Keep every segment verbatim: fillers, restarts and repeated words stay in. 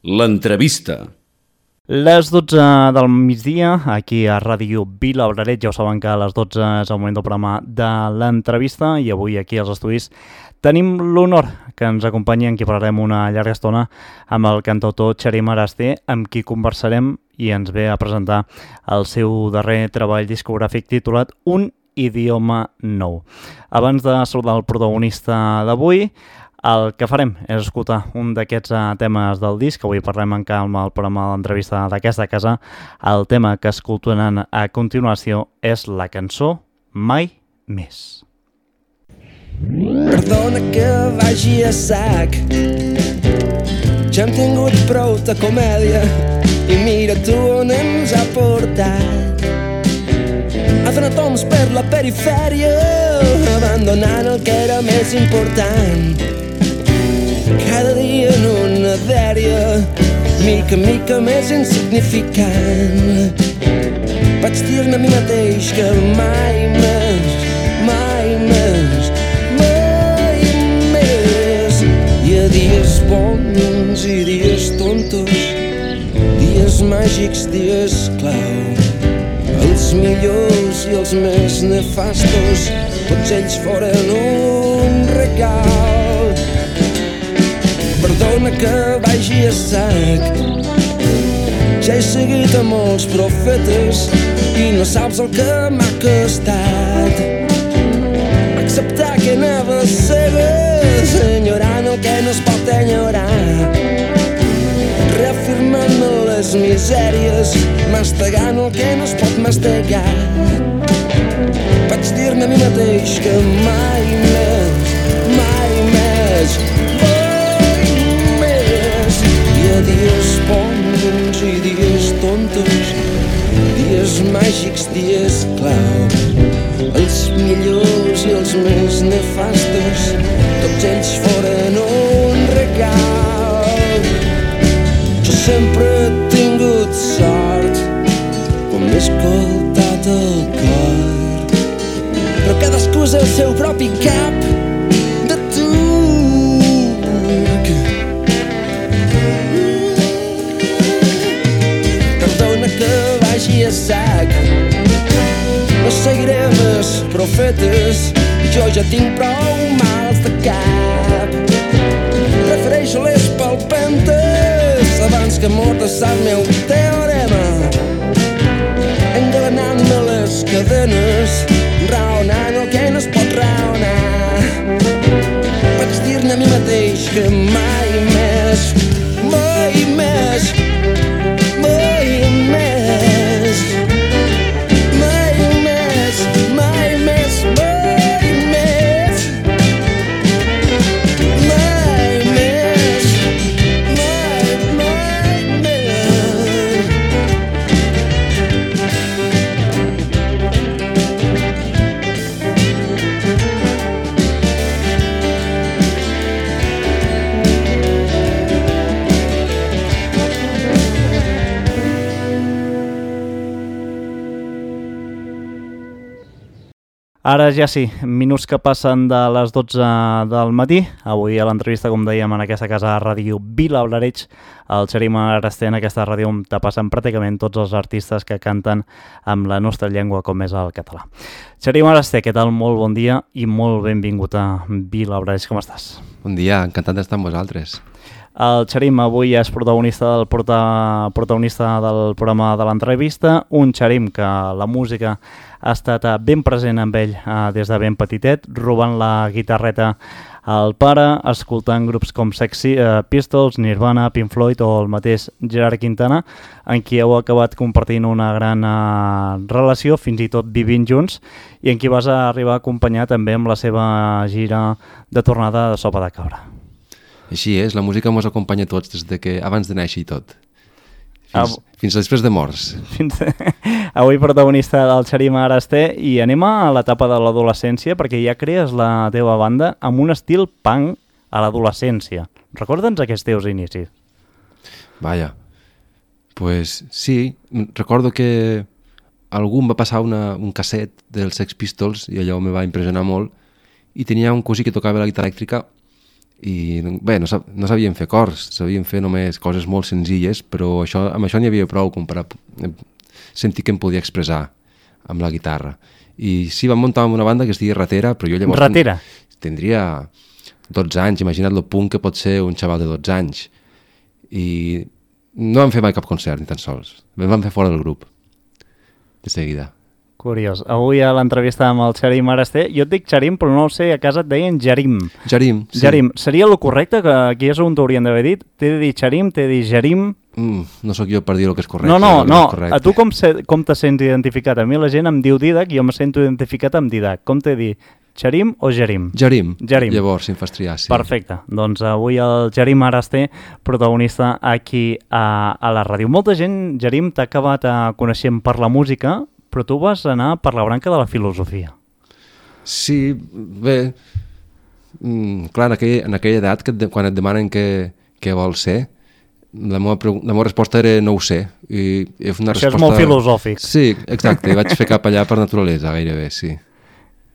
L'entrevista. Les dotze del migdia, aquí a Ràdio Vila Obraret, ja ho saben que a les dotze és el moment del programa de l'entrevista i avui aquí als estudis tenim l'honor que ens acompanyi, en qui parlarem una llarga estona, amb el cantautor Txarim Arasté, amb qui conversarem i ens ve a presentar el seu darrer treball discogràfic titulat Un idioma nou. Abans de saludar el protagonista d'avui, el que farem és escoltar un d'aquests temes del disc, que avui parlem en calma al programa de l'entrevista d'aquesta casa. El tema que escoltaran a continuació és la cançó Mai Més. Perdona que vagi a sac, ja hem tingut prou de comèdia i mira tu on ens ha portat. Ha donat toms per la perifèria, abandonant el que era més important. Cada dia en una dèria, mica en mica més insignificant. Vaig dir-me a mi mateix que mai més, mai més, mai més. Hi ha dies bons i dies tontos, dies màgics, dies clau. Els millors i els més nefastos, tots ells foren un regal. Perdona que vagi a sac, ja he seguit a molts profetes i no saps el que m'ha costat acceptar que anava cegues, enyorant el que no es pot enyorar, reafirmant-me les misèries, mastegant el que no es pot mastegar. Vaig dir-me a mi mateix que mai més, mai més, hi ha dies bons i dies tontos, dies màgics, dies clau. Els millors i els més nefastos, tots ells foren un regal. Jo sempre he tingut sort quan m'he escoltat el cor, però cadascú és el seu propi cap de turc. Perdona que vagi a sac, no seguiré més profetes, jo ja tinc prou mals de cap. Prefereixo les palpentes abans que mordassar el meu teorema, engalanant-me les cadenes, raonant el que no es pot raonar. Vaig dir-ne a mi mateix que mai més, mai més, mai més, mai més, mai més, mai més, mai més, mai, mai més. Ara ja sí, minuts que passen de les dotze del matí. Avui a l'entrevista, com dèiem, en aquesta casa de Ràdio Vila Obraret, el Txarim Arasté, en aquesta ràdio on te passen pràcticament tots els artistes que canten amb la nostra llengua, com és el català. Txarim Arasté, què tal? Molt bon dia i molt benvingut a Vila Obraret. Com estàs? Bon dia, encantat d'estar amb vosaltres. El Txarim avui és protagonista del, prota, protagonista del programa de l'entrevista, un Txarim que la música ha estat ben present amb ell eh, des de ben petitet, robant la guitarreta al pare, escoltant grups com Sexy eh, Pistols, Nirvana, Pink Floyd o el mateix Gerard Quintana, en qui heu acabat compartint una gran eh, relació, fins i tot vivint junts, i en qui vas arribar a acompanyar també amb la seva gira de tornada de Sopa de Cabra. Així és, la música ens acompanya tots des de que abans de néixer i tot. Fins, Ah, fins després de morts. fins avui protagonista del Txarim Arasté, i anem a l'etapa de l'adolescència, perquè ja crees la teva banda amb un estil punk a l'adolescència. Recorda'ns aquests teus inicis. Vaja, pues sí, recordo que algú em va passar una, un casset dels Sex Pistols i allò me va impressionar molt, i tenia un cosí que tocava la guitarra elèctrica i bé, no, sab no sabíem fer cors, sabíem fer només coses molt senzilles, però això, amb això n'hi havia prou com per a sentir que em podia expressar amb la guitarra. I sí, vam muntar una banda que es deia Ratera, però jo llavors... Ratera? Tindria dotze anys, imagina't lo punt que pot ser un xaval de dotze anys. I no vam fer mai cap concert, ni tan sols. Vam fer fora del grup, de seguida. Curiós. Avui a l'entrevista amb el Xarim Arasté, jo et dic Xarim, però no ho sé, a casa et deien Jarim. Jarim, sí. Jarim. Seria el correcte, que aquí és on t'haurien d'haver dit? T'he de dir Xarim, t'he de dir Jarim... Mm, no sóc jo per dir el que és correcte. No, no, no. No A tu com, se, com te sents identificat? A mi la gent em diu Didac i jo me sento identificat amb Didac. Com t'he de dir? Xarim o Jarim? Jarim. Jarim. Llavors, si em fas triar, sí. Perfecte. Doncs avui el Xarim Arasté, protagonista aquí a, a la ràdio. Molta gent, Xarim, t'ha acabat coneixent per la música, però tu vas anar per la branca de la filosofia. Sí, bé, mm, clar, en aquella, en aquella edat, que et de, quan et demanen què, què vols ser, la meva, la meva resposta era no ho sé. I, i una Això resposta... és molt filosòfic. Sí, exacte, i vaig fer cap allà per naturalesa, gairebé, sí.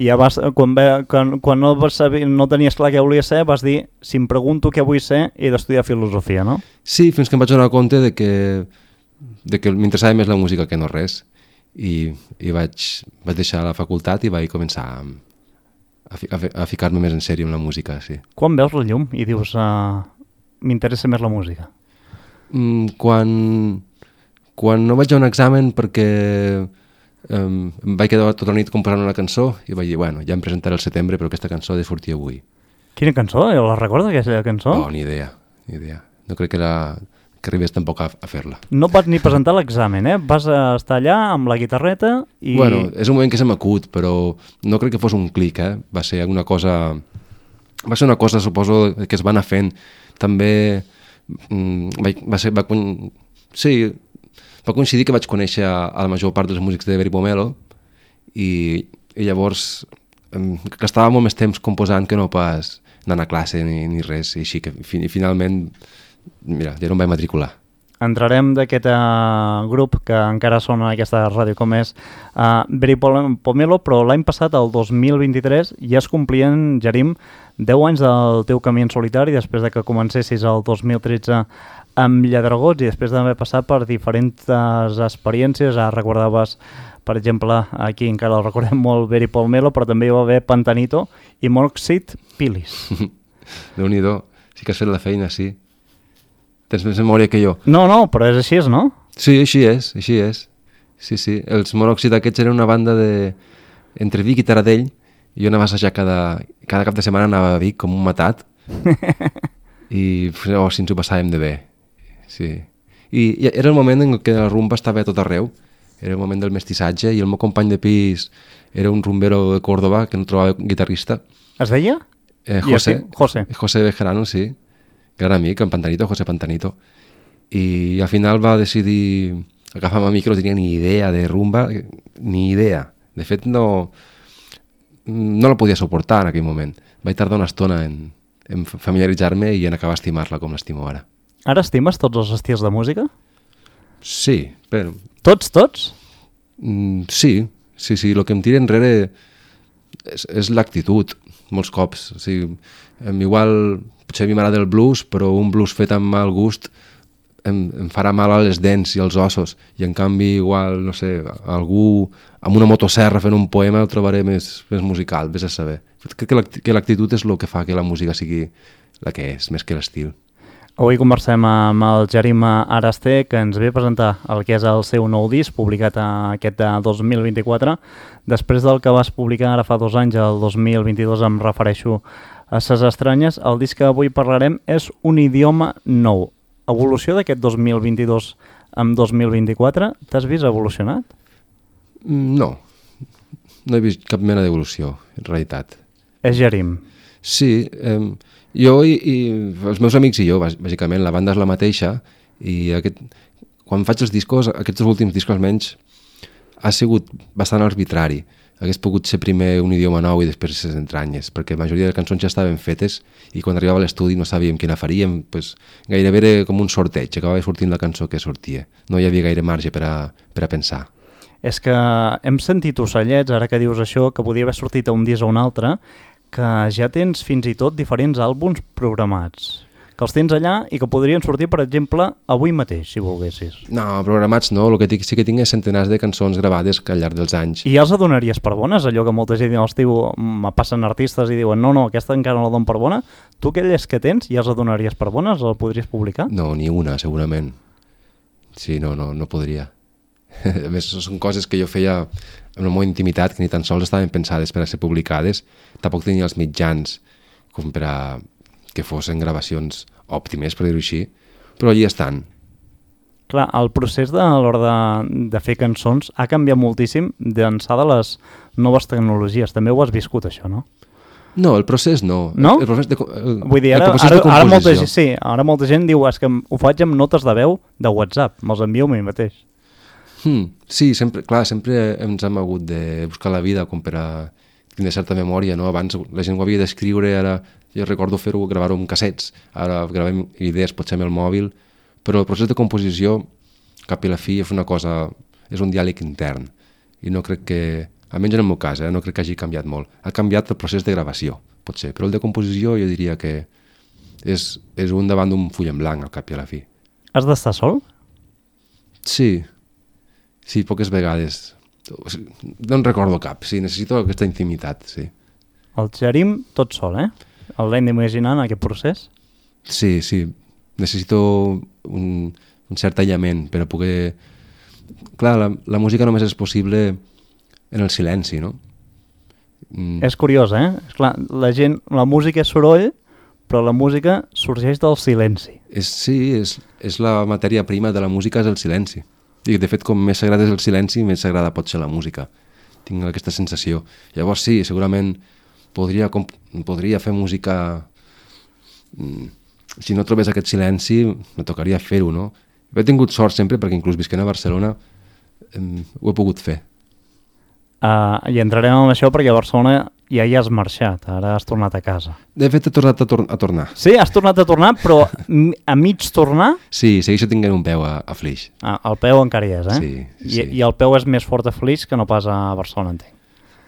I ja vas, quan, ve, quan, quan no, vas saber, no tenies clar què volies ser, vas dir, si em pregunto què vull ser, he d'estudiar filosofia, no? Sí, fins que em vaig donar compte de que, de que m'interessava més la música que no res. I, i vaig, vaig deixar la facultat i vaig començar a, a, fi, a, a ficar-me més en sèrio amb la música, sí. Quan veus la llum i dius, uh, m'interessa més la música? Mm, quan, quan no vaig a un examen perquè um, em vaig quedar tota la nit composant una cançó i vaig dir, bueno, ja em presentaré al setembre, però aquesta cançó ha de sortir avui. Quina cançó? La recorda, aquesta cançó? Oh, ni idea, ni idea. No crec que, la, que arribés tampoc a, a fer-la. No et vas ni presentar l'examen, eh? Vas a estar allà amb la guitarreta i... Bueno, és un moment que se m'acut, però no crec que fos un clic, eh? Va ser alguna cosa... Va ser una cosa, suposo, que es va anar fent. També... Va, va ser, va, sí, va coincidir que vaig conèixer a, a la major part dels músics de Beri Pomelo i, i llavors em, gastava molt més temps composant que no pas anant a classe ni, ni res, i així que fi, finalment, mira, ja no em vaig matricular. Entrarem d'aquest uh, grup que encara sona en aquesta ràdio com és uh, Beri Pomelo, però l'any passat, el dos mil vint-i-tres, ja es complien, Jarim, deu anys del teu camí en solitari, després de que comencessis el dos mil tretze amb Lladregots i després d'haver passat per diferents experiències. Ara recordaves, per exemple, aquí encara el recordem molt, Beri Pomelo, però també hi va haver Pantanito i Monoxid Pilis. Déu-n'hi-do, sí que has fet la feina, sí. Tens més memòria que jo. No, no, però és així, no? Sí, així és, així és. Sí, sí. Els Monòxid aquests eren una banda de... entre Vic i Taradell. Jo anava a assajar cada... cada cap de setmana anava a Vic com un matat. I oh, si ens ho passàvem de bé. Sí. I, I era el moment en què la rumba estava a tot arreu. Era el moment del mestissatge i el meu company de pis era un rumbero de Córdoba que no trobava guitarrista. Es deia? Eh, José. José. José Bejarano, sí. Gran amic, en Pantanito, José Pantanito. I al final va decidir agafar-me a mi que no tenia ni idea de rumba, ni idea. De fet, no, no la podia suportar en aquell moment. Vaig tardar una estona en, en familiaritzar-me i en acabar a estimar-la com l'estimo ara. Ara estimes tots els estils de música? Sí, però... Tots, tots? Mm, sí, sí, sí. El que em tira enrere és, és l'actitud, molts cops. O sigui, igual... Potser a mi m'agrada el blues, però un blues fet amb mal gust em, em farà mal a les dents i als ossos. I en canvi, igual, no sé, algú amb una motosserra fent un poema el trobaré més, més musical, vés a saber. Crec que l'actitud és el que fa que la música sigui la que és, més que l'estil. Avui conversem amb el Jarim Arasté, que ens ve a presentar el que és el seu nou disc, publicat aquest dos mil vint-i-quatre. Després del que vas publicar ara fa dos anys, el dos mil vint-i-dos, em refereixo a Ses Estranyes. El disc que avui parlarem és Un idioma nou. Evolució d'aquest dos mil vint-i-dos amb dos mil vint-i-quatre, t'has vist evolucionat? No, no he vist cap mena d'evolució, en realitat. És Jarim. Sí, eh, jo i, i els meus amics i jo, bàsicament, la banda és la mateixa, i aquest, quan faig els discos, aquests últims discos almenys, ha sigut bastant arbitrari. Hagués pogut ser primer Un idioma nou i després Ses Entranyes, perquè la majoria de cançons ja estaven fetes i quan arribava a l'estudi no sabíem quina faríem, pues, gairebé era com un sorteig, acabava sortint la cançó que sortia. No hi havia gaire marge per a, per a pensar. És que hem sentit ocellets, ara que dius això, que podia haver sortit a un disc o un altre, que ja tens fins i tot diferents àlbums programats, que els tens allà i que podrien sortir, per exemple, avui mateix, si volguessis. No, programats no, el que sí que tinc és centenars de cançons gravades al llarg dels anys. I ja els donaries per bones? Allò que molta gent els diu, me passen artistes i diuen no, no, aquesta encara no la dono per bona. Tu aquelles que tens ja els donaries per bones? El podries publicar? No, ni una, segurament. Sí, no, no, no podria. A més, són coses que jo feia en la meva intimitat, que ni tan sols estaven pensades per a ser publicades. Tampoc tenia els mitjans com per a que fossin gravacions òptimes, per dir-ho així, però allí estan. Clar, el procés de, a l'hora de, de fer cançons ha canviat moltíssim d'ençà de les noves tecnologies. També ho has viscut, això, no? No, el procés no. No? El, el procés de, el, Vull dir, ara, ara, ara, molta, sí, ara molta gent diu és que ho faig amb notes de veu de WhatsApp, me'ls envio a mi mateix. Hmm, sí, sempre, clar, sempre ens hem hagut de buscar la vida com per a tindre certa memòria, no? Abans la gent ho havia d'escriure, ara jo recordo fer-ho, gravar-ho amb cassets, ara gravem idees potser amb el mòbil, però el procés de composició, cap i la fi, és una cosa, és un diàleg intern, i no crec que, almenys en el meu cas, eh, no crec que hagi canviat molt. Ha canviat el procés de gravació, potser, però el de composició jo diria que és, és un davant d'un full en blanc, al cap i a la fi. Has d'estar sol? Sí, sí, poques vegades. No en recordo cap, sí, necessito aquesta intimitat, sí. El Jerim tot sol, eh? El l'hem d'imaginar en aquest procés? Sí, sí, necessito un, un cert aïllament per a poder... Clar, la, la música només és possible en el silenci, no? Mm. És curiós, eh? Esclar, la gent, la música és soroll, però la música sorgeix del silenci. És, sí, és, és la matèria prima de la música, és el silenci. I de fet, com més sagrada és el silenci, més sagrada pot ser la música. Tinc aquesta sensació. Llavors sí, segurament podria, com, podria fer música... Si no trobés aquest silenci, me tocaria fer-ho, no? He tingut sort sempre, perquè inclús visquent a Barcelona eh, ho he pogut fer. Uh, I entrarem en això perquè a Barcelona ja hi has marxat, ara has tornat a casa. De fet, he tornat a, tor a tornar. Sí, has tornat a tornar, però a mig tornar... Sí, segueixo tinguent un peu a, a Flix. Ah, el peu encara hi és, eh? Sí, I, sí. I el peu és més fort a Flix que no pas a Barcelona, entenc.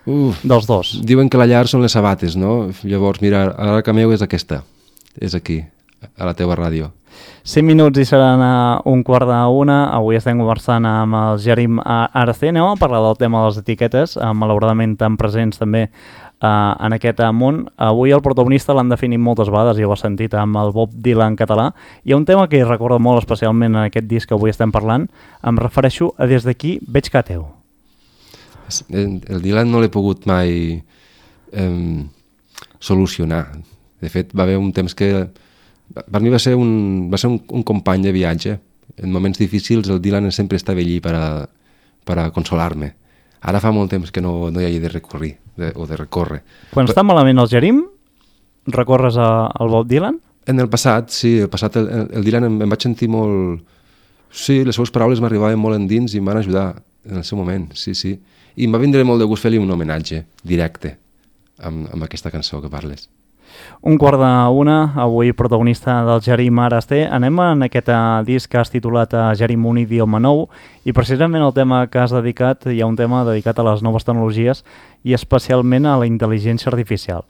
Uf, dels dos. Diuen que la llar són les sabates, no? Llavors, mira, ara que meu és aquesta. És aquí, a la teva ràdio. cinc minuts i seran a un quart d'una. Avui estem conversant amb el Jerim Aracé. Anem a parlar del tema de les etiquetes, eh, malauradament tan presents també eh, en aquest món. Avui el protagonista l'han definit moltes vegades, ja ho has sentit, amb el Bob Dylan català. Hi ha un tema que hi recorda molt especialment en aquest disc que avui estem parlant. Em refereixo a Des d'aquí veig que teu. El Dylan no l'he pogut mai eh, solucionar. De fet, va haver un temps que... Per mi va ser un, va ser un, un company de viatge. En moments difícils el Dylan sempre estava allí per a, per a consolar-me. Ara fa molt temps que no, no hi hagi de recórrer, de, o de recórrer. Quan Però, està malament el Jerim, recorres a, al Bob Dylan? En el passat, sí, el passat el, el Dylan em, em vaig sentir molt... Sí, les seves paraules m'arribaven molt endins i em van ajudar en el seu moment, sí, sí. I em va vindre molt de gust fer-li un homenatge directe amb, amb aquesta cançó que parles. Un quart d'una, avui protagonista del Jerim Aracé. Anem en aquest disc que has titulat Jerim un idioma nou i precisament el tema que has dedicat, hi ha un tema dedicat a les noves tecnologies i especialment a la intel·ligència artificial.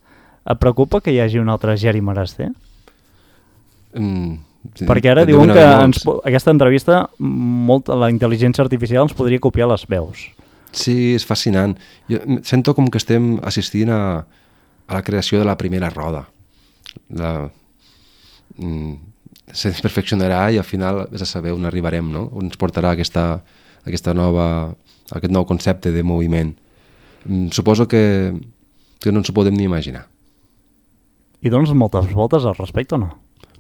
Et preocupa que hi hagi un altre Jerim Aracé? Mm, sí, Perquè ara diuen que ens, aquesta entrevista molt, la intel·ligència artificial ens podria copiar les veus. Sí, és fascinant. Jo sento com que estem assistint a a la creació de la primera roda. La, mm, se perfeccionarà i al final és a saber on arribarem, no? On ens portarà aquesta, aquesta nova, aquest nou concepte de moviment. Mm, suposo que, que no ens ho podem ni imaginar. I dones moltes voltes al respecte o no?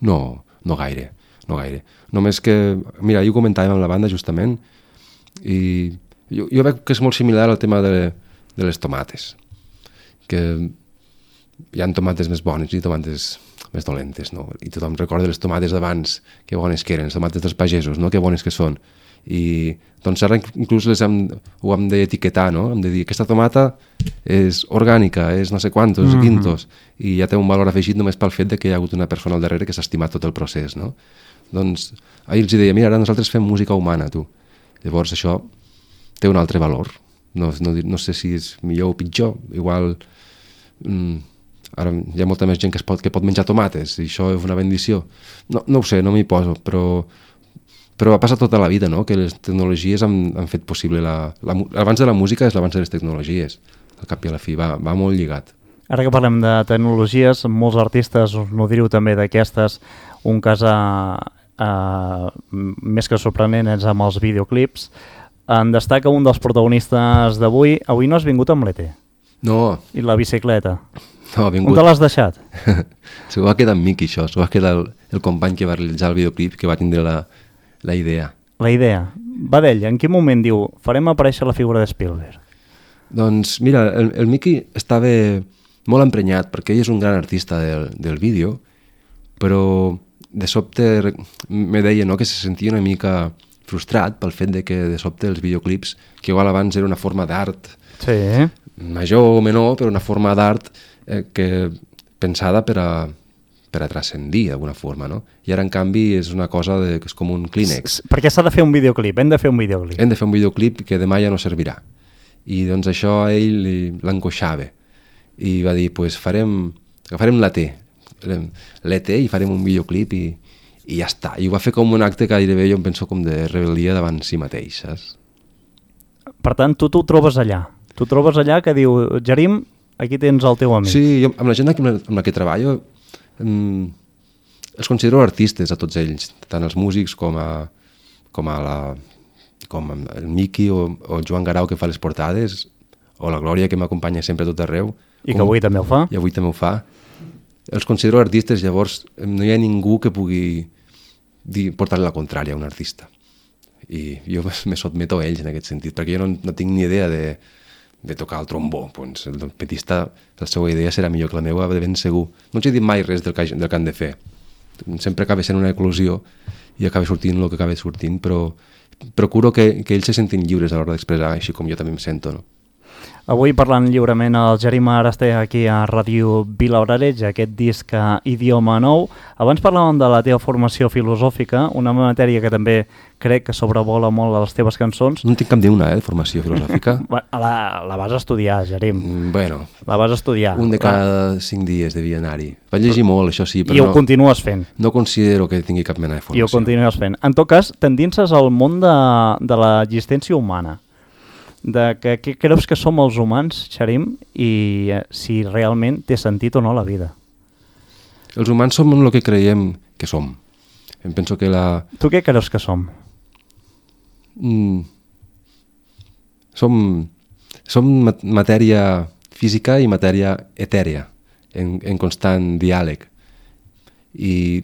No, no gaire, no gaire. Només que, mira, ahir ho comentàvem amb la banda justament i jo, jo veig que és molt similar al tema de, de les tomates. Que hi ha tomates més bones i tomates més dolentes, no? I tothom recorda les tomates d'abans, que bones que eren, les tomates dels pagesos, no? Que bones que són. I doncs ara inclús les hem, ho hem d'etiquetar, no? Hem de dir, aquesta tomata és orgànica, és no sé quantos, mm-hmm. quintos, i ja té un valor afegit només pel fet de que hi ha hagut una persona al darrere que s'ha estimat tot el procés, no? Doncs ahir els deia, mira, ara nosaltres fem música humana, tu. Llavors això té un altre valor. No, no, no sé si és millor o pitjor, igual... Mm, ara hi ha molta més gent que, es pot, que pot menjar tomates i això és una bendició. No, no ho sé, no m'hi poso, però, però ha passat tota la vida, no? Que les tecnologies han, han fet possible... La, la, l'abans de la música és l'abans de les tecnologies, al cap i a la fi, va, va molt lligat. Ara que parlem de tecnologies, molts artistes, us nodriu també d'aquestes, un cas a, a, més que sorprenent és amb els videoclips. En destaca un dels protagonistes d'avui. Avui no has vingut amb l'E T. No. I la bicicleta. No, ha vingut... On te l'has deixat? Se ho va quedar amb Miqui, això. Se ho va quedar el, el company que va realitzar el videoclip, que va tindre la, la idea. La idea. Va d'ell. En quin moment diu farem aparèixer la figura de Spielberg? Doncs mira, el, el Miqui estava molt emprenyat perquè ell és un gran artista del, del vídeo, però de sobte me deia, no, que se sentia una mica frustrat pel fet de que de sobte els videoclips, que igual abans era una forma d'art, sí, major o menor, però una forma d'art eh, que pensada per a, per a transcendir d'alguna forma, no? I ara, en canvi, és una cosa de, que és com un Kleenex. Perquè s'ha de fer un videoclip, hem de fer un videoclip. Hem de fer un videoclip que demà ja no servirà. I doncs això a ell li, l'angoixava. I va dir, pues farem, agafarem l'E T, l'E T i farem un videoclip i, i ja està. I ho va fer com un acte que gairebé jo em penso com de rebel·lia davant si mateix, saps? Per tant, tu t'ho trobes allà. Tu trobes allà que diu, Jerim, aquí tens el teu amic. Sí, jo, amb la gent amb la, amb la que treballo mm, els considero artistes a tots ells, tant els músics com a, com a la, com el Miqui o, o el Joan Garau que fa les portades, o la Glòria que m'acompanya sempre a tot arreu. I que avui també ho fa. I avui també ho fa. Els considero artistes, llavors no hi ha ningú que pugui dir, portar-li la contrària a un artista. I jo me sotmeto a ells en aquest sentit, perquè jo no, no tinc ni idea de, de tocar el trombó. Doncs el trompetista, la seva idea serà millor que la meva, de ben segur. No els he dit mai res del que, del que han de fer. Sempre acaba sent una eclosió i acaba sortint el que acaba sortint, però procuro que, que ells se sentin lliures a l'hora d'expressar, així com jo també em sento, no? Avui parlant lliurement el Jerim Araste aquí a Ràdio Vilaorareig, aquest disc Idioma Nou. Abans parlàvem de la teva formació filosòfica, una matèria que també crec que sobrevola molt a les teves cançons. No en tinc cap d'una, eh, de formació filosòfica. La, la vas estudiar, Jerim. Mm, bueno. La vas estudiar. Un de cada cinc dies devia anar-hi. Vaig llegir molt, això sí, però I ho no, continues fent. No considero que tingui cap mena de formació. I ho continues fent. En tot cas, t'endinses al món de, de l'existència humana. De que, què creus que som els humans, Jerim, i eh, si realment té sentit o no la vida. Els humans som el que creiem que som. Em penso que la... Tu què creus que som? Mm. Som, som matèria física i matèria etèria, en, en constant diàleg. I,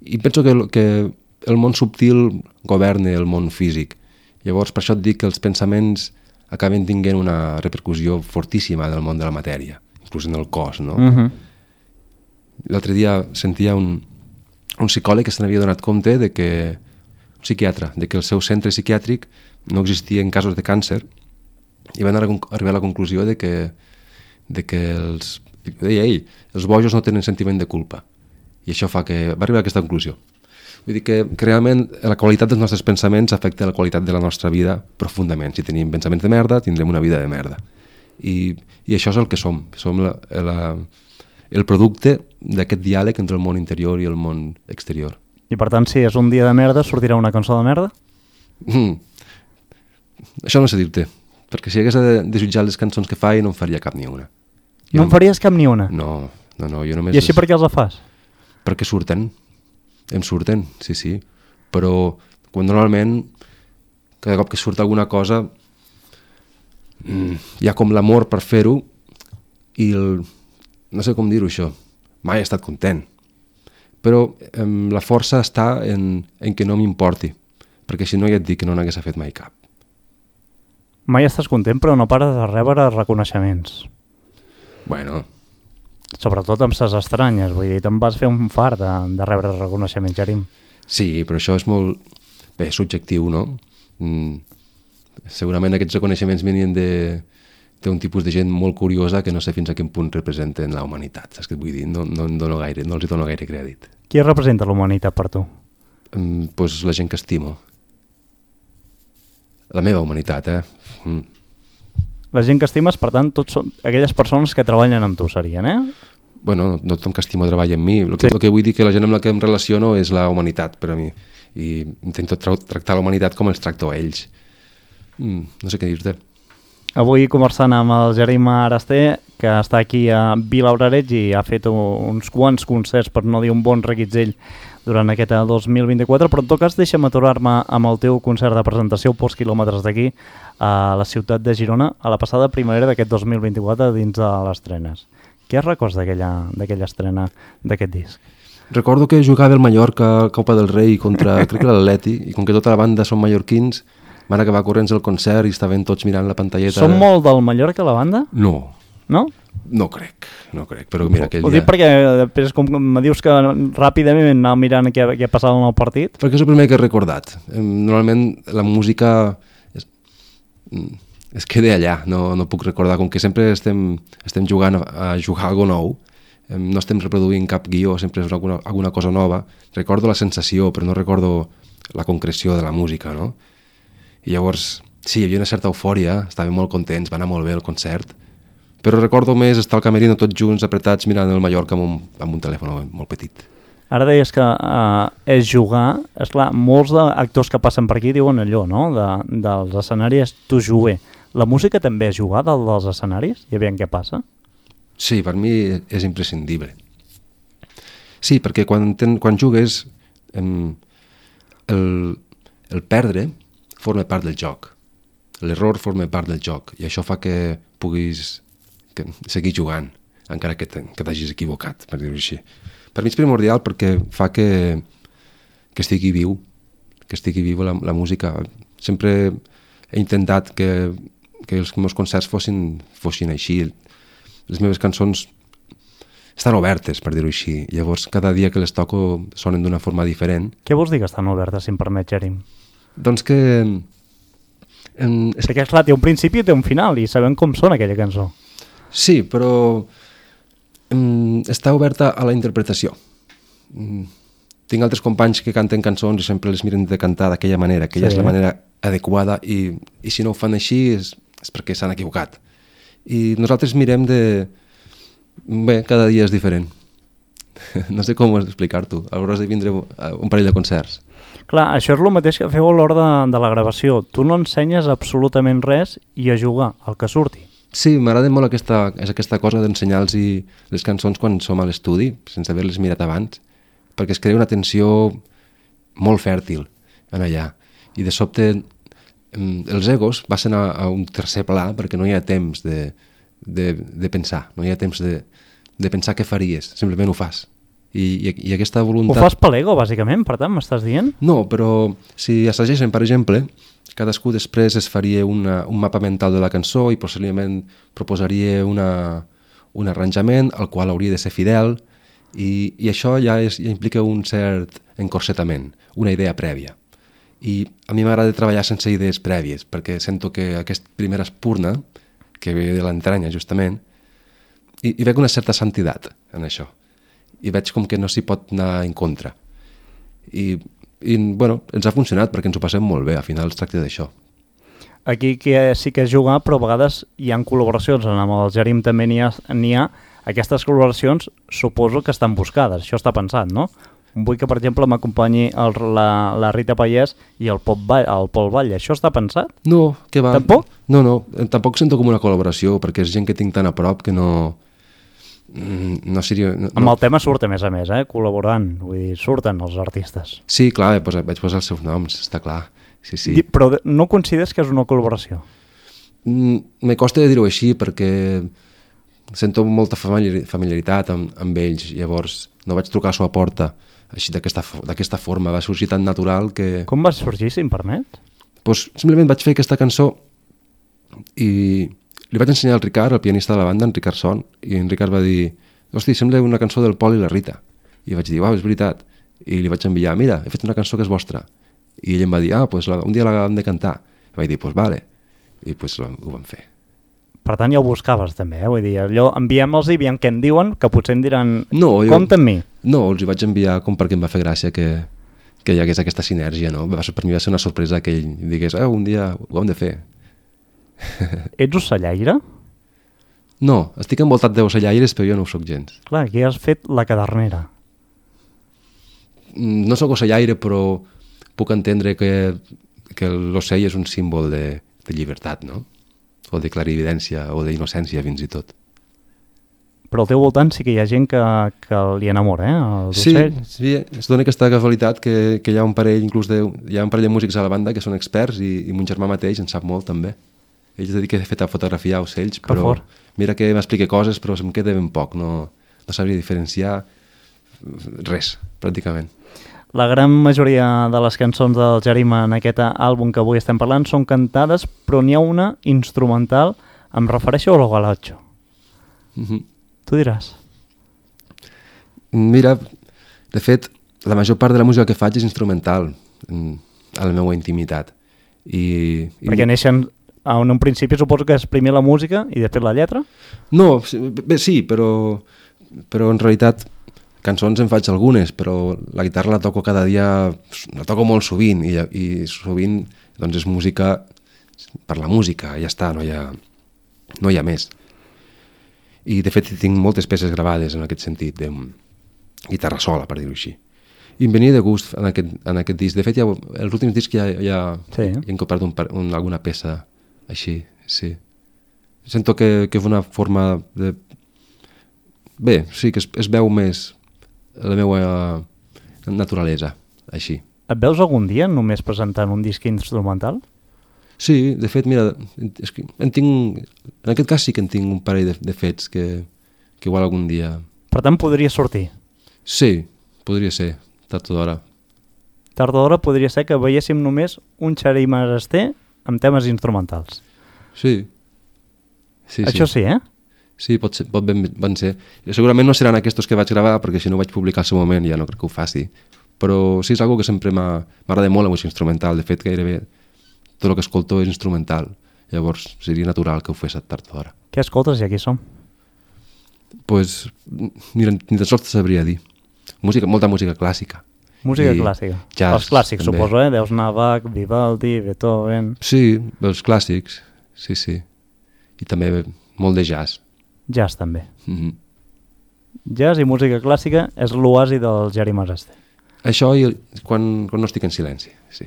i penso que, que el món subtil governa el món físic. Llavors, per això et dic que els pensaments acaben tinguent una repercussió fortíssima del món de la matèria, inclús en el cos, no? Uh-huh. L'altre dia sentia un, un psicòleg que se n'havia donat compte de que, un psiquiatre, de que el seu centre psiquiàtric no existia en casos de càncer i van arribar a la conclusió de que, de que els, deia ell, els bojos no tenen sentiment de culpa. I això fa que va arribar a aquesta conclusió. Vull dir que, que realment la qualitat dels nostres pensaments afecta la qualitat de la nostra vida profundament. Si tenim pensaments de merda, tindrem una vida de merda. I, i això és el que som. Som la, la, el producte d'aquest diàleg entre el món interior i el món exterior. I per tant, si és un dia de merda, sortirà una cançó de merda? Mm. Això no sé dir-te, perquè si hagués de, de jutjar les cançons que faig no en faria cap ni una. Jo no en faries cap ni una? No, no, no. Jo només I així és... per què els fas? Perquè surten. Em surten, sí, sí. Però quan normalment, cada cop que surt alguna cosa, hi ha com l'amor per fer-ho i el... no sé com dir-ho això. Mai he estat content. Però eh, la força està en, en que no m'importi, perquè si no ja et dic que no n'hagués fet mai cap. Mai estàs content, però no pares de rebre reconeixements. Bueno... Sobretot amb ses estranyes, vull dir, te'n vas fer un fart de, de rebre reconeixement, Jerim. Sí, però això és molt... bé, subjectiu, no? Mm, segurament aquests reconeixements venien de d'un tipus de gent molt curiosa que no sé fins a quin punt representen la humanitat, saps què et vull dir? No, no, dono gaire, no els dono gaire crèdit. Qui representa la humanitat per tu? Mm, pues la gent que estimo. La meva humanitat, eh? Mm. La gent que estimes, per tant, tots són aquelles persones que treballen amb tu, serien, eh? bueno, no tothom que estimo treballa amb mi. El que, Sí. el que vull dir que la gent amb la que em relaciono és la humanitat per a mi. I intento tra tractar la humanitat com els tracto a ells. Mm, no sé què dir-te. Avui conversant amb el Jerim Arasté, que està aquí a Vilablareix i ha fet uns quants concerts, per no dir un bon reguitzell, durant aquest dos mil vint-i-quatre, però en tot cas deixa'm aturar-me amb el teu concert de presentació pocs quilòmetres d'aquí, a la ciutat de Girona, a la passada primavera d'aquest dos mil vint-i-quatre dins de les trenes. Què records d'aquella d'aquella estrena d'aquest disc? Recordo que jugava el Mallorca a Copa del Rei contra, crec que l'Atleti, i com que tota la banda són mallorquins, van acabar corrents el concert i estaven tots mirant la pantalleta. Són molt del Mallorca, la banda? No, No? no crec, no crec, però mira, aquell Ho dia... dic perquè després com me dius que ràpidament anava mirant què, què passava en el partit. Perquè és el primer que he recordat. Normalment la música es, es queda allà, no, no puc recordar, com que sempre estem, estem jugant a, a jugar alguna nou, no estem reproduint cap guió, sempre és alguna, alguna cosa nova. Recordo la sensació, però no recordo la concreció de la música, no? I llavors, sí, hi havia una certa eufòria, estàvem molt contents, va anar molt bé el concert, però recordo més estar al camerino tots junts, apretats, mirant el Mallorca amb un, amb un telèfon molt petit. Ara deies que uh, és jugar, esclar, molts d'actors que passen per aquí diuen allò, no?, de, dels escenaris tu juguer. La música també és jugar del, dels escenaris? I aviam què passa? Sí, per mi és imprescindible. Sí, perquè quan, ten, quan jugues, em, el, el perdre forma part del joc. L'error forma part del joc i això fa que puguis que, seguir jugant, encara que t'hagis equivocat, per dir-ho així. Per mi és primordial perquè fa que, que estigui viu, que estigui viu la, la música. Sempre he intentat que, que els meus concerts fossin, fossin així. Les meves cançons estan obertes, per dir-ho així. Llavors, cada dia que les toco sonen d'una forma diferent. Què vols dir que estan obertes, si em permet, Jerim? Doncs que... En... Perquè, esclar, té un principi i té un final, i sabem com sona aquella cançó. Sí, però em, està oberta a la interpretació. Mm, tinc altres companys que canten cançons i sempre les miren de cantar d'aquella manera, que ja Sí. és la manera adequada, i, i si no ho fan així és, és perquè s'han equivocat. I nosaltres mirem de... Bé, cada dia és diferent. No sé com explicar-t'ho. Hauràs de vindre a un parell de concerts. Clar, això és el mateix que feu a l'hora de, de la gravació. Tu no ensenyes absolutament res i a jugar, el que surti. Sí, m'agrada molt aquesta, és aquesta cosa d'ensenyar-los les cançons quan som a l'estudi, sense haver-les mirat abans, perquè es crea una tensió molt fèrtil en allà. I de sobte els egos passen a, a un tercer pla perquè no hi ha temps de, de, de pensar, no hi ha temps de, de pensar què faries, simplement ho fas. I, i, i aquesta voluntat... Ho fas per l'ego, bàsicament, per tant, m'estàs dient? No, però si assageixen, per exemple, cadascú després es faria una, un mapa mental de la cançó i possiblement proposaria una, un arranjament al qual hauria de ser fidel i, i això ja, és, ja implica un cert encorsetament, una idea prèvia. I a mi m'agrada treballar sense idees prèvies perquè sento que aquesta primera espurna, que ve de l'entranya justament, i, i veig una certa santitat en això. I veig com que no s'hi pot anar en contra. I, i bueno, ens ha funcionat perquè ens ho passem molt bé, al final es tracta d'això. Aquí que sí que és jugar, però a vegades hi ha col·laboracions, amb el Jerim també n'hi ha, n'hi ha. Aquestes col·laboracions suposo que estan buscades, això està pensat, no? Vull que, per exemple, m'acompanyi el, la, la Rita Pallès i el, Pop Ball, el Pol Batlle, això està pensat? No, que va... Tampoc? No, no, tampoc sento com una col·laboració, perquè és gent que tinc tan a prop que no... No seria... No, Amb el tema surt a més a més, eh? Col·laborant, vull dir, surten els artistes. Sí, clar, posa, vaig posar els seus noms, està clar. Sí, sí. Però no consideres que és una col·laboració? Mm, me costa de dir-ho així perquè sento molta familiaritat amb, amb ells, llavors no vaig trucar a la seva porta així d'aquesta forma, va sorgir tan natural que... Com va sorgir, si em permet? Pues, simplement vaig fer aquesta cançó i li vaig ensenyar al Ricard, el pianista de la banda, en Ricard Son, i en Ricard va dir, hosti, sembla una cançó del Pol i la Rita. I vaig dir, uau, és veritat. I li vaig enviar, mira, he fet una cançó que és vostra. I ell em va dir, ah, pues, un dia l'hem de cantar. I vaig dir, pues vale. I pues, ho vam fer. Per tant, ja ho buscaves també, eh? Vull dir, allò, enviem-los i veiem què en diuen, que potser em diran, no, jo, compta amb mi. No, els hi vaig enviar com perquè em va fer gràcia que, que hi hagués aquesta sinergia, no? Va, per mi va ser una sorpresa que ell digués, ah, un dia ho hem de fer. Ets ocellaire? No, estic envoltat d'ocellaires, però jo no ho soc gens. Clar, aquí has fet la cadernera. No soc ocellaire, però puc entendre que, que l'ocell és un símbol de, de llibertat, no? O de clarividència, o d'innocència, fins i tot. Però al teu voltant sí que hi ha gent que, que li enamora, eh? Els Sí, ocells. sí, es dona aquesta casualitat que, que hi ha un parell, inclús de, hi ha un parell de músics a la banda que són experts i, i mon germà mateix en sap molt també. Ell es dedica de fet a fotografiar ocells, Que però fort. mira que m'explica coses, però se'm queda ben poc, no, no sabria diferenciar res, pràcticament. La gran majoria de les cançons del Jerima en aquest àlbum que avui estem parlant són cantades, però n'hi ha una instrumental, em refereixo al Galacho. Mm -hmm. Tu diràs. Mira, de fet, la major part de la música que faig és instrumental, a la meva intimitat. I, i... Perquè neixen, en un principi suposo que és primer la música i després la lletra? No, bé, sí, però, però en realitat cançons en faig algunes, però la guitarra la toco cada dia, la toco molt sovint, i, i sovint doncs és música per la música, ja està, no hi ha, no hi ha més. I de fet tinc moltes peces gravades en aquest sentit, de guitarra sola, per dir-ho així. I em venia de gust en aquest, en aquest disc. De fet, ja, els últims discs ja, ja, sí. ja he incorporat un, un, alguna peça així, sí. Sento que, que és una forma de... Bé, sí, que es, es veu més la meva naturalesa, així. Et veus algun dia només presentant un disc instrumental? Sí, de fet, mira, és que en, tinc, en aquest cas sí que en tinc un parell de, de fets que, que igual algun dia... Per tant, podria sortir? Sí, podria ser, tard o d'hora. Tard o d'hora podria ser que veiéssim només un Jerima Araster amb temes instrumentals. Sí. sí Això sí, eh? Sí, pot, ser, pot ben, ben ser. Segurament no seran aquests que vaig gravar, perquè si no ho vaig publicar al seu moment ja no crec que ho faci. Però sí, és una cosa que sempre m'agrada molt la música instrumental. De fet, gairebé tot el que escolto és instrumental. Llavors seria natural que ho fes a tard o d'hora. Què escoltes i aquí som? Pues, mira, ni tan sols te sabria dir. Música, molta música clàssica. Música I clàssica. Jazz, els clàssics, també. suposo, eh? Deus anar Bach, Vivaldi, Beethoven... Sí, els clàssics, sí, sí. I també molt de jazz. Jazz, també. Mm-hmm. Jazz i música clàssica és l'oasi del Jerima Araster. Això i quan, quan no estic en silenci, sí.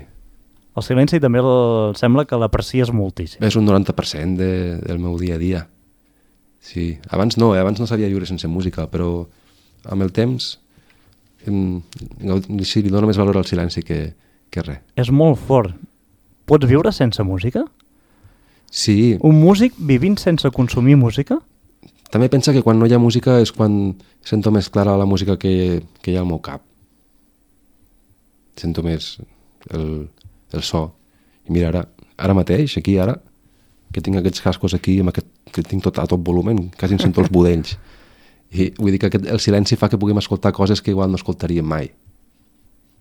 El silenci també el, sembla que l'aprecies moltíssim. És un noranta per cent de, del meu dia a dia. Sí, abans no, eh? Abans no sabia viure sense música, però amb el temps em, sí, li dono més valor al silenci que, que res. És molt fort. Pots viure sense música? Sí. Un músic vivint sense consumir música? També pensa que quan no hi ha música és quan sento més clara la música que, que hi ha al meu cap. Sento més el, el so. I mira, ara, ara mateix, aquí, ara, que tinc aquests cascos aquí, amb aquest, que tinc tot a tot volumen, quasi em sento els budells. I vull dir que aquest, el silenci fa que puguem escoltar coses que igual no escoltaríem mai.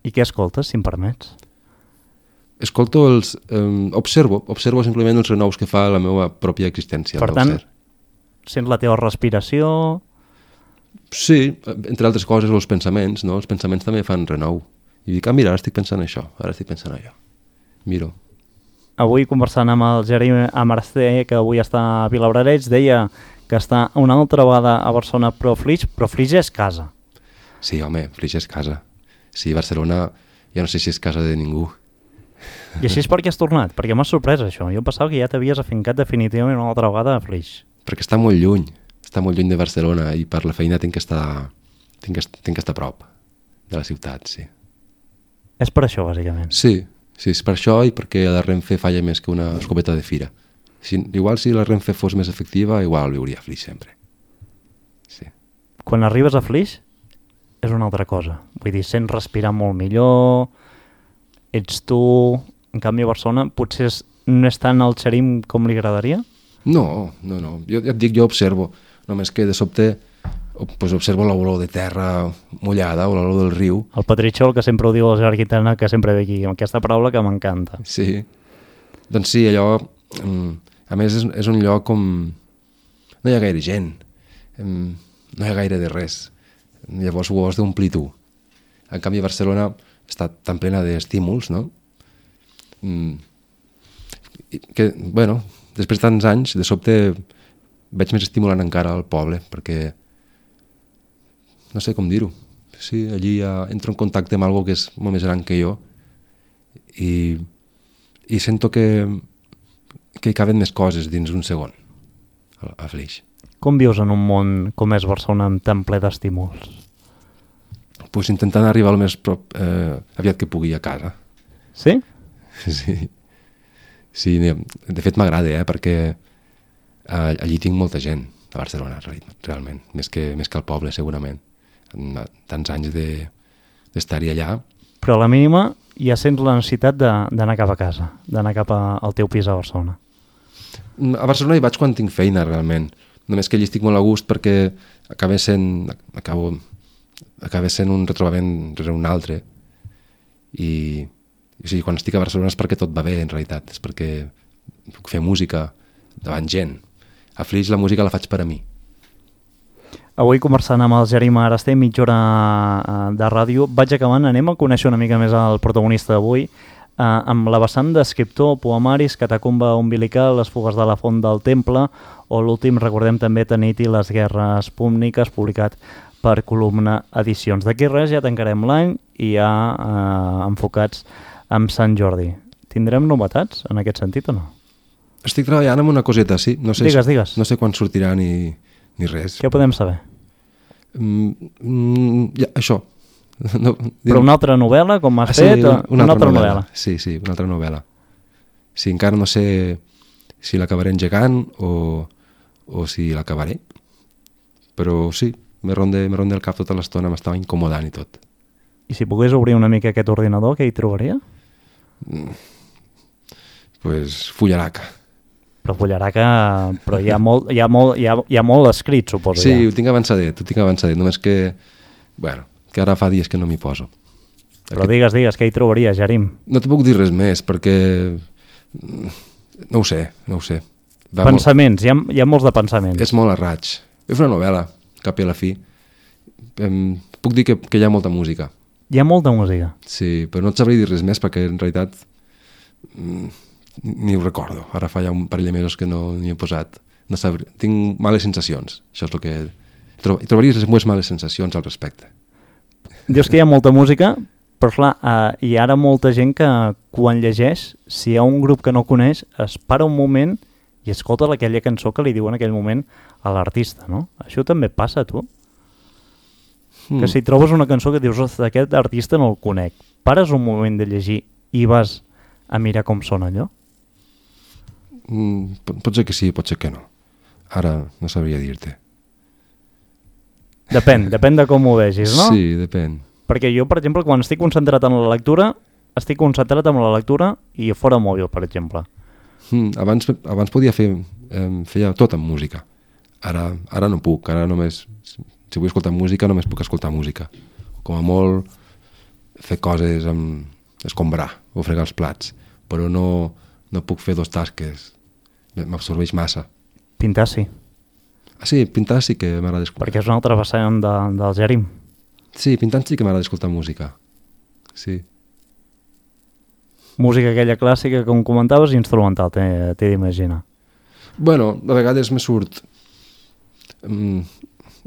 I què escoltes, si em permets? Escolto els... Eh, observo, observo simplement els renous que fa la meva pròpia existència. Per tant, sents la teva respiració... Sí, entre altres coses, els pensaments, no? Els pensaments també fan renou. I dic, ah, mira, ara estic pensant això, ara estic pensant allò. Miro. Avui, conversant amb el Jerima Araster, que avui està a Vilabrareig, deia que està una altra vegada a Barcelona, però Flix, però Flix és casa. Sí, home, Flix és casa. Sí, Barcelona, ja no sé si és casa de ningú. I així és per què has tornat? Perquè m'ha sorprès això. Jo pensava que ja t'havies afincat definitivament una altra vegada a Flix. Perquè està molt lluny, està molt lluny de Barcelona i per la feina tinc que estar, tinc que, tinc que estar a prop de la ciutat, sí. És per això, bàsicament. Sí, sí, és per això i perquè la Renfe falla més que una escopeta de fira. Si, igual si la Renfe fos més efectiva, igual viuria a Flix sempre. Sí. Quan arribes a Flix és una altra cosa. Vull dir, sents respirar molt millor, ets tu... En canvi a Barcelona potser no és tant el xerim com li agradaria? No, no, no. Jo ja et dic, jo observo. Només que de sobte pues observo l'olor de terra mullada o l'olor del riu. El Patritxol, que sempre ho diu el Gerard Quintana, que sempre ve aquí, amb aquesta paraula que m'encanta. Sí. Doncs sí, allò... A més, és, és un lloc com... No hi ha gaire gent. No hi ha gaire de res. Llavors ho has d'omplir tu. En canvi, Barcelona està tan plena d'estímuls, no? Que, bueno, després de tants anys, de sobte veig més estimulant encara al poble, perquè no sé com dir-ho. Sí, allí ja entro en contacte amb algo que és molt més gran que jo i, i sento que, que hi caben més coses dins d'un segon a, a Flix. Com vius en un món com és Barcelona amb tan ple d'estímuls? Pues intentant arribar el més prop, eh, aviat que pugui a casa. Sí? Sí, sí, de fet m'agrada, eh, perquè allí tinc molta gent a Barcelona, realment, més que, més que al poble, segurament. Tants anys de, d'estar-hi allà. Però a la mínima ja sents la necessitat de, d'anar cap a casa, d'anar cap a, al teu pis a Barcelona. A Barcelona hi vaig quan tinc feina, realment. Només que allí estic molt a gust perquè acaba sent, acabo, acaba sent un retrobament rere un altre. I, o sigui, quan estic a Barcelona és perquè tot va bé, en realitat. És perquè puc fer música davant gent. A Flix la música la faig per a mi. Avui, conversant amb el Jerim Araster, mitja hora de ràdio, vaig acabant, anem a conèixer una mica més el protagonista d'avui, eh, amb la vessant d'escriptor, poemaris, Catacumba umbilical, Les fugues de la font del temple, o l'últim, recordem també, Tanit i les guerres púniques, publicat per Columna Edicions. D'aquí res ja tancarem l'any i ja eh, enfocats amb Sant Jordi. Tindrem novetats en aquest sentit o no? Estic treballant en una coseta, sí. No sé, digues, digues. No sé quan sortirà ni, ni res. Què podem saber? Mm, mm, ja, això. No, Però una altra novel·la, com has ah, sí, fet? Una, una, una altra, altra novel·la. novel·la. Sí, sí, una altra novel·la. Sí, encara no sé si l'acabaré engegant o, o si l'acabaré. Però sí, me ronda, me ronda el cap tota l'estona, m'estava incomodant i tot. I si pogués obrir una mica aquest ordinador, què hi trobaria? Mm, pues fullaraca. Però Fullaraca, però hi ha molt, hi ha molt, hi ha, hi ha molt escrit, suposo. Sí, ja. ho tinc avançadet, ho tinc avançadet, només que, bueno, que ara fa dies que no m'hi poso. Però Aquest... digues, digues, què hi trobaria, Jerim? No te puc dir res més, perquè no ho sé, no ho sé. Va Pensaments, molt... hi, ha, hi ha molts de pensaments. És molt a raig. És una novel·la, cap i a la fi. Em, puc dir que, que hi ha molta música. Hi ha molta música. Sí, però no et sabré dir res més perquè en realitat ni ho recordo. Ara fa ja un parell de mesos que no n'hi he posat. No sabré. Tinc males sensacions. Això és el que... Trob... Trobaries les males sensacions al respecte. Dius que hi ha molta música, però clar, eh, hi ha ara molta gent que quan llegeix, si hi ha un grup que no coneix, es para un moment i escolta aquella cançó que li diu en aquell moment a l'artista, no? Això també passa, tu? Mm. Que si trobes una cançó que dius, ostres, aquest artista no el conec, pares un moment de llegir i vas a mirar com sona allò? Mm, pot, pot ser que sí, pot ser que no. Ara no sabria dir-te. Depèn, depèn de com ho vegis, no? Sí, depèn. Perquè jo, per exemple, quan estic concentrat en la lectura, estic concentrat en la lectura i fora mòbil, per exemple. Mm, abans, abans podia fer, eh, feia tot amb música. Ara, ara no puc, ara només, si vull escoltar música, només puc escoltar música. Com a molt fer coses amb escombrar o fregar els plats, però no, no puc fer dos tasques, m'absorbeix massa. Pintar sí. Ah, sí, pintar sí que m'agrada escoltar. Perquè és una altra vessant de, del Jerim. Sí, pintant sí que m'agrada escoltar música. Sí. Música aquella clàssica, com comentaves, instrumental, t'he, t'he d'imaginar. Bueno, a vegades me surt... Mm,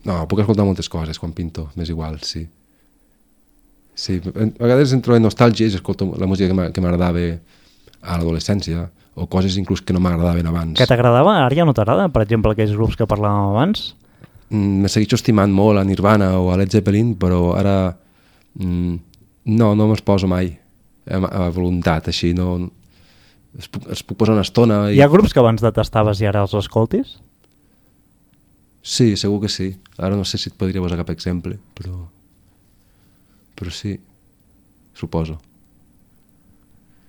no, puc escoltar moltes coses quan pinto, m'és igual, sí. Sí, a vegades entro en nostàlgia i escolto la música que m'agradava a l'adolescència, o coses inclús que no m'agradaven abans. Que t'agradava, ara ja no t'agrada? Per exemple, aquells grups que parlàvem abans? Mm, me segueixo estimant molt a Nirvana o a Led Zeppelin, però ara mm, no, no me'ls poso mai a, a voluntat, així, no... Es puc, es puc posar una estona... I... Hi ha grups que abans detestaves i ara els escoltis? Sí, segur que sí. Ara no sé si et podria posar cap exemple, però... Però sí, suposo.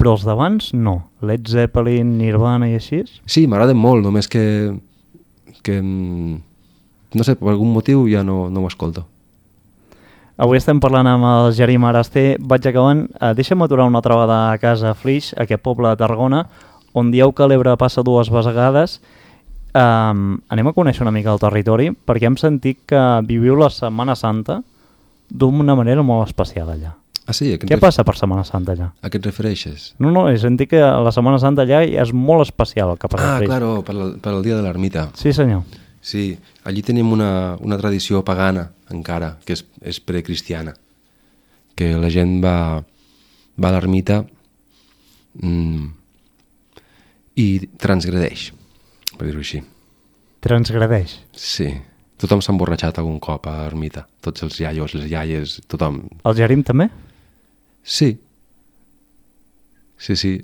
Però els d'abans no. Led Zeppelin, Nirvana i així? Sí, m'agraden molt, només que... que no sé, per algun motiu ja no, no ho escolto. Avui estem parlant amb el Jerim Araster. Vaig acabant. Eh, deixa'm aturar una altra vegada a casa a Flix, aquest poble de Tarragona, on dieu que l'Ebre passa dues vegades. Um, anem a conèixer una mica el territori, perquè hem sentit que viviu la Setmana Santa d'una manera molt especial allà. Ah, sí? Què passa per Setmana Santa allà? A què et refereixes? No, no, he sentit que la Setmana Santa allà és molt especial el que passa. Ah, claro, per, la, per el dia de l'ermita. Sí, senyor. Sí, allí tenim una, una tradició pagana encara, que és, és precristiana, que la gent va, va a l'ermita mm, i transgredeix, per dir-ho així. Transgredeix? Sí, tothom s'ha emborratxat algun cop a l'ermita, tots els iaios, les iaies, tothom. El Jerim també? Sí, sí, sí.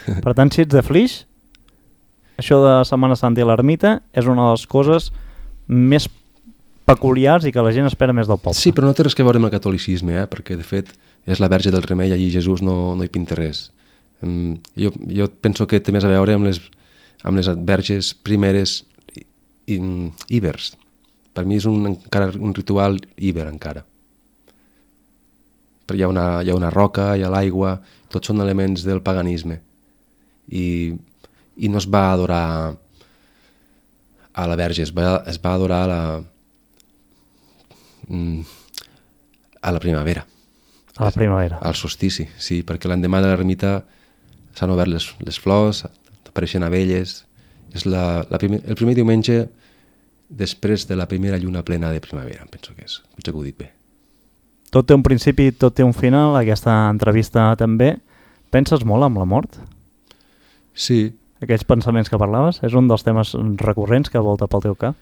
Per tant, si ets de Flix, això de Setmana Santa i l'ermita és una de les coses més peculiars i que la gent espera més del poble. Sí, però no té res que veure amb el catolicisme, eh? Perquè de fet és la Verge del Remei, allí Jesús no, no hi pinta res. Um, jo, jo penso que té més a veure amb les, amb les verges primeres i, i, íbers. Per mi és un, encara un ritual íber encara. Però hi ha una, hi ha una roca, hi ha l'aigua, tots són elements del paganisme. I, i no es va adorar a la Verge, es va, es va adorar a la, a la primavera. A la primavera. Al solstici, sí, perquè l'endemà de l'ermita s'han obert les, les flors, apareixen abelles. És la, la primer, el primer diumenge després de la primera lluna plena de primavera, em penso que és. Potser que ho he dit bé. Tot té un principi, tot té un final, aquesta entrevista també. Penses molt amb la mort? Sí. Aquells pensaments que parlaves, és un dels temes recurrents que volta pel teu cap?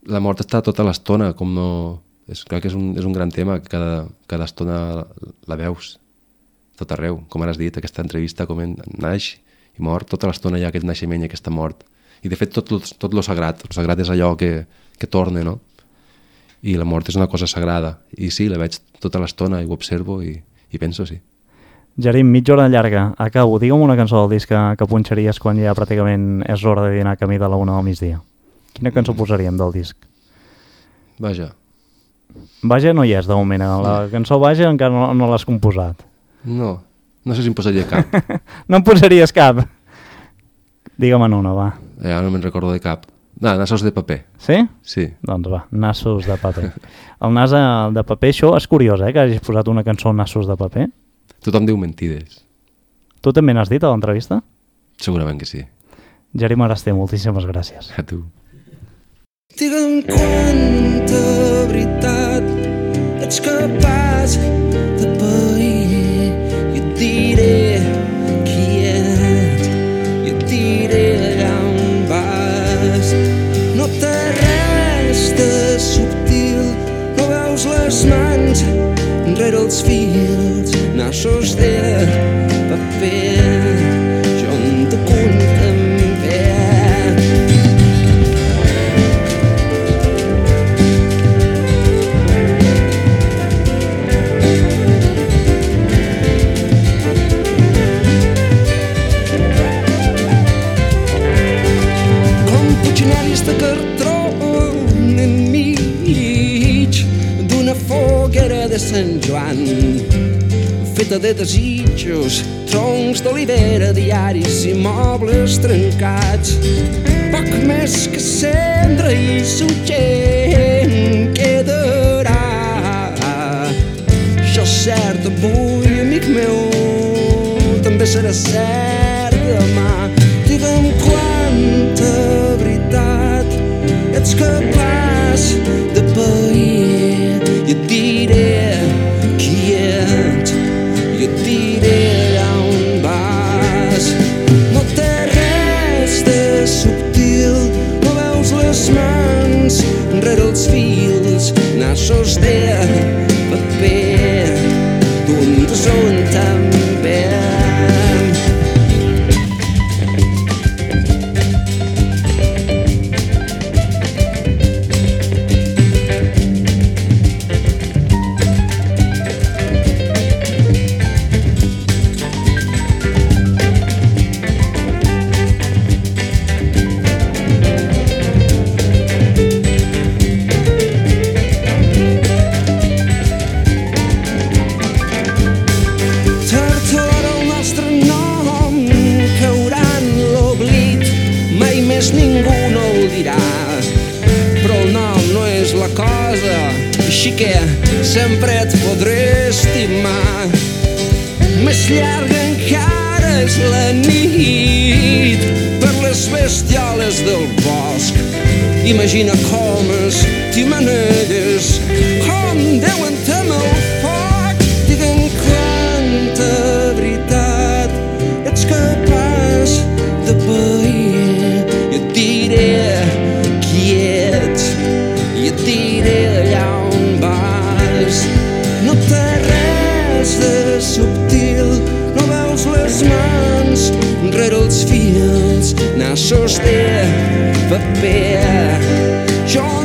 La mort està tota l'estona, com no... És, crec que és un, és un gran tema, que cada, cada estona la, la veus, tot arreu. Com ara has dit, aquesta entrevista, com en, naix i mort, tota l'estona hi ha aquest naixement i aquesta mort. I de fet tot, tot lo sagrat, el sagrat és allò que, que torna, no? I la mort és una cosa sagrada. I sí, la veig tota l'estona i ho observo i, i penso, sí. Jerim, mitja hora llarga. Acabo. Digue'm una cançó del disc que, que punxaries quan ja pràcticament és l'hora de dinar camí de la una del migdia. Quina cançó posaríem del disc? Vaja. Vaja no hi és, de moment. La cançó Vaja encara no, no l'has composat. No, no sé si em posaria cap. No em posaries cap? Digue'm una, va. Ja no me'n recordo de cap. No, nassos de paper. Sí? Sí. Doncs va, nassos de paper. El nas de paper, això és curiós, eh, que hagis posat una cançó nassos de paper. Tothom diu mentides. Tu també n'has dit a l'entrevista? Segurament que sí. Jerim Araster, moltíssimes gràcies. A tu. Digue'm quanta veritat ets capaç de pair i et diré qui ets i et diré allà on vas. No té res de subtil, no veus les mans enrere els fils, nassos de paper, jo en te contemplé. Com puiginaris de cartró enmig d'una foguera de Sant Joan, feta de desitjos, troncs d'olivera, diaris i mobles trencats. Poc més que cendra i sugent quedarà. Això és cert avui, amic meu, també serà cert demà. Digue'm quanta veritat ets capaç de pair i et diré qui ets i et diré allà on vas. No té res de subtil, no veus les mans enrere els fils, nassos de paper, d'un són també. Sempre et podré estimar. estimar. Més llarga encara és la nit per les bestioles del bosc. Imagina com estimanelles, com deuen temer el foc. Digue'm quanta veritat ets capaç de pair. I et diré qui ets, i et diré allà on vas. No té res de subtil, no veus les mans rere els fils, nassos de paper. Jo